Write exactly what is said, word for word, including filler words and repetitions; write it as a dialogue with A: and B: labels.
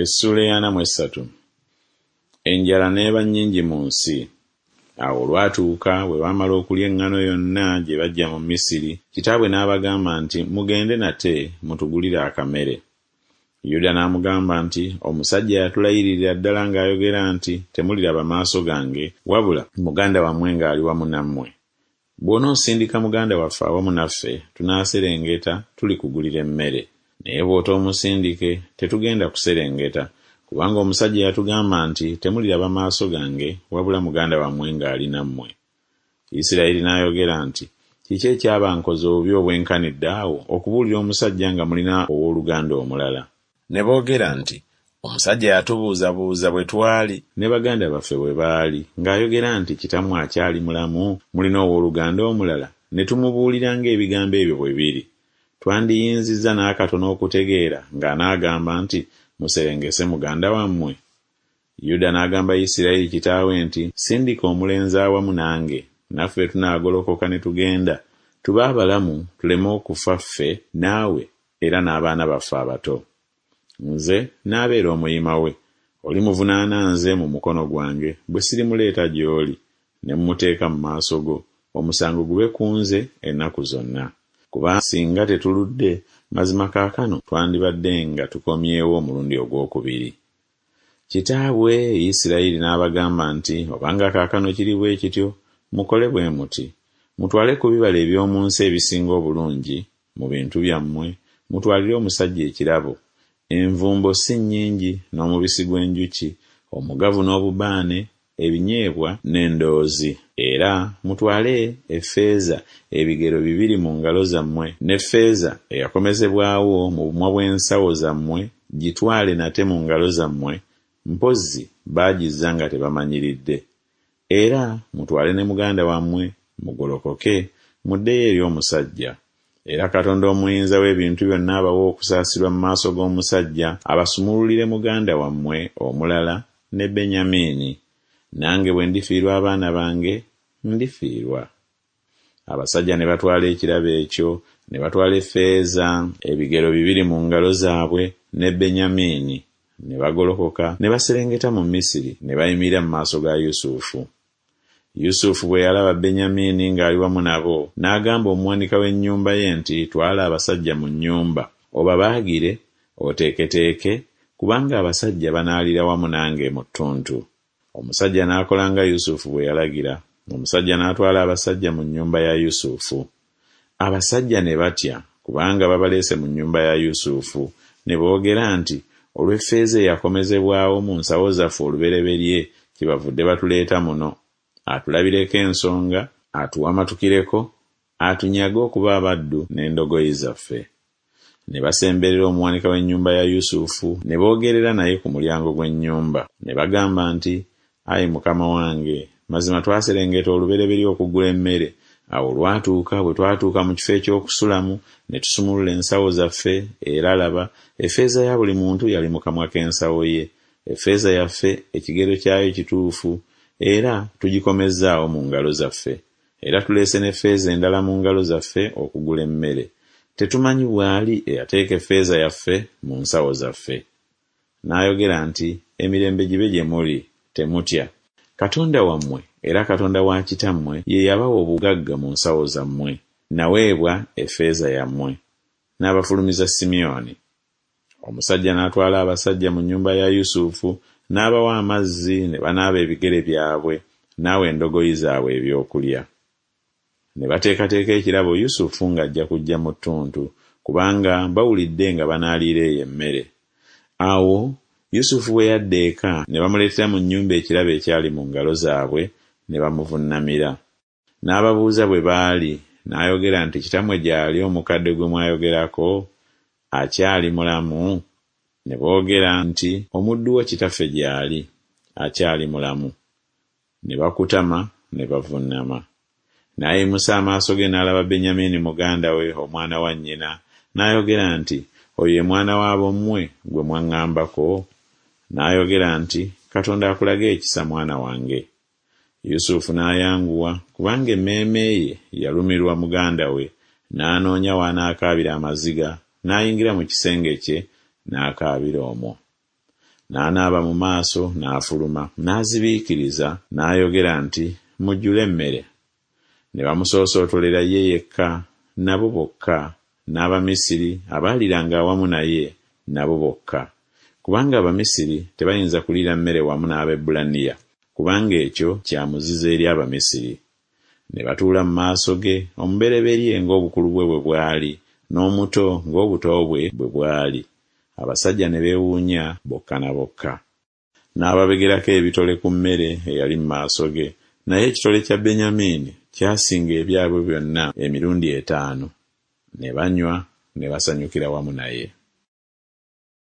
A: Essuula ey'ana mu essatu. Enjala n'eba nnyingi mu nsi. Awo olwatuuka bwe baamala okulya eŋŋano yonna gye baggya mu Misiri, kitaabwe n'abagamba nti, Mugende nate mutugulire akamere. Yuda n'amugamba nti, Omusajja yatulayiririra ddala ng'ayogera nti, Temuliraba maaso gange, wabula muganda wammwe ng'ali wamu nammwe. Bw'onoosindika muganda waffe awamu naffe, tunaaserengeta tulikugulira emmere. Naye bw'otoomusindike, tetugenda kuserengeta, kubanga omusajja yatugamba nti, Temuliraba maaso gange, wabula muganda wammwe ng'ali nammwe. Isirayiri n'ayogera nti, Kiki ekyabankoza obubi obwenkanidde awo okubuulira omusajja nga mulina owooluganda omulala? Ne boogera nti, Omusajja yatubuuzabuuza bwe twali ne baganda baffe bwe baali, ng'ayogera nti, Kitammwe akyali mulamu? Mulina owooluganda omulala? Ne tumubuulira ng'ebigambo ebyo bwe biri. Twandiyinzizza n'akatono okutegeera ng'anaagamba nti, Muserengese muganda wammwe? Yuda n'agamba Isirayiri kitaawe nti, Sindika omulenzi awamu nange, naffe tunaagolokoka ne tugenda, tube abalamu tuleme okufa ffe naawe era n'abaana baffe abato. Nze naabeera omuyima we, olimuvunaana nze mu mukono gwange bwe sirimuleeta gy'oli, ne mmuteeka mu maaso go, omusango gube ku nze ennaku zonna. Kubanga singa tetuludde, mazima kaakano twandibadde nga tukomyewo omulundi ogw'okubiri. Kitaabwe Isirayiri n'abagamba nti, Obanga kaakano kiri bwe kityo, mukole bwe muti, mutwale ku bibala eby'omu nsi ebisinga obulungi mu bintu byammwe, mutwalire omusajja ekirabo, envumbo si nnyingi n'omubisi gw'enjuki, omugavu n'obubaane, ebinyeebwa n'endoozi. Era mutwale effeeza ebigero bibiri mu ngalo zammwe, n'effeeza eyakomezebwawo mu bumwa bw'ensawo zammwe gitwale nate mu ngalo zammwe, mpozzi baagizza nga tebamanyiridde. Era mutwale ne muganda wammwe, mugolokoke, muddeyo eri omusajja. Era Katonda Omuyinza w'ebintu byonna abawe okusaasirwa mu maaso g'omusajja, abasumululire muganda wammwe omulala ne Benyamini. Nange bwe ndifiirwa abaana bange, ndifiirwa. Abasajja ne batwala ekirabo ekyo, ne batwala effeeza ebigero bibiri mu ngalo zaabwe ne Benyamini, ne bagolokoka ne baserengeta mu Misiri ne bayimirira mu maaso ga Yusufu. Yusufu bwe yalaba Benyamini ng'ali wamu nabo, n'agamba omuwanika w'ennyumba ye nti, Twala abasajja mu nnyumba, obabaagire, oteeketeeke, kubanga abasajja banaalira wamu nange mu ttuntu. Omusajja n'akola nga Yusufu bwe yalagira. Omusajja n'atwala abasajja mu nnyumba ya Yusufu. Abasajja ne batya, kubanga babaleese mu nnyumba ya Yusufu, ne boogera nti, Olw'effeeza eyakomezebwawo mu nsawo zaffe olubereberye kyebavudde batuleeta muno, atulabireko ensonga, atuwamatukireko, atunyage okuba abaddu n'endogoyi zaffe. Ne basemberera omuwanika w'ennyumba ya Yusufu, ne boogerera naye ku mulyango gw'ennyumba. Ne bagamba nti, Ayi mukama wange, mazima twaserengeta olubereberye okugula emmere. Awo olwatuuka bwe twatuuka mu kifo eky'okusulamu, ne tusumulula ensawo zaffe, era laba, effeeza ya buli muntu yali mu kamwa k'ensawo ye. Effeeza yaffe ekigero kyayo kituufu, era tugikomezzaawo mu ngalo zaffe. Era tuleese n'effeeza endala mu ngalo zaffe okugula emmere. Tetumanyi bw'ali eyateeka effeeza yaffe mu nsawo zaffe. N'ayogera nti, Emirembe gibe gye muli, temutya. Katonda wammwe era Katonda wa kitammwe ye yabawa obugagga mu nsawo zammwe. Naweebwa effeeza yammwe. N'abafulumiza Simyoni. Omusajja n'atwala abasajja mu nnyumba ya Yusufu, n'abawa amazzi ne banaaba ebigere byabwe, n'awa endogoyi zaabwe ebyokulya. Ne bateekateeka ekirabo Yusufu ng'ajja kujja mu ttuntu, kubanga bawulidde nga banaaliira eyo emmere. Awo Yusufu bwe yadda eka, ne bamuleetera mu nnyumba ekirabo ekyali mu ngalo zaabwe, ne bamuvunnamira. N'ababuuza bwe baali, n'ayogera nti, Kitammwe gy'ali omukadde gwe mwayogerako? Akyali mulamu? Ne boogera nti, Omuddu wo kitaffe gy'ali, akyali mulamu. Ne bakutama ne bavunnama. N'ayimusa amaaso ge n'alaba Benyamini muganda we, omwana wa nnyina, n'ayogera nti, Oyo ye mwana w'abommwe gwe mwaŋŋambako? N'ayogera nti, Katonda akulage ekisa mwana wange. Yusufu n'ayanguwa, kubanga emmeeme ye yalumirwa muganda we, n'anoonya w'anaakaabira amaziga, n'ayingira mu kisenge kye, n'akaabira omwo. N'anaaba mu maaso, n'afuluma, n'azibiikiriza, n'ayogera nti, Mujjule emmere. Ne bamusoosootolera ye yekka, nabo bokka, n'Abamisiri abaaliranga awamu naye, nabo bokka. Kubanga Abamisiri tebayinza kuliira mmere wamu n'Abaebbulaniya, kubanga ekyo kya muzizo eri Abamisiri. Ne batuula mu maaso ge, omubereberye ng'obukulu bwe bwe bwali, n'omuto ng'obuto bwe bwe bwali. Abasajja ne beewuunya bokka na bokka. N'ababegerako ebitole ku mmere eyali mu maaso ge, naye ekitole kya Benyamini kyasinga ebyabwe byonna emirundi etaano. Ne banywa ne basanyukira wamu naye.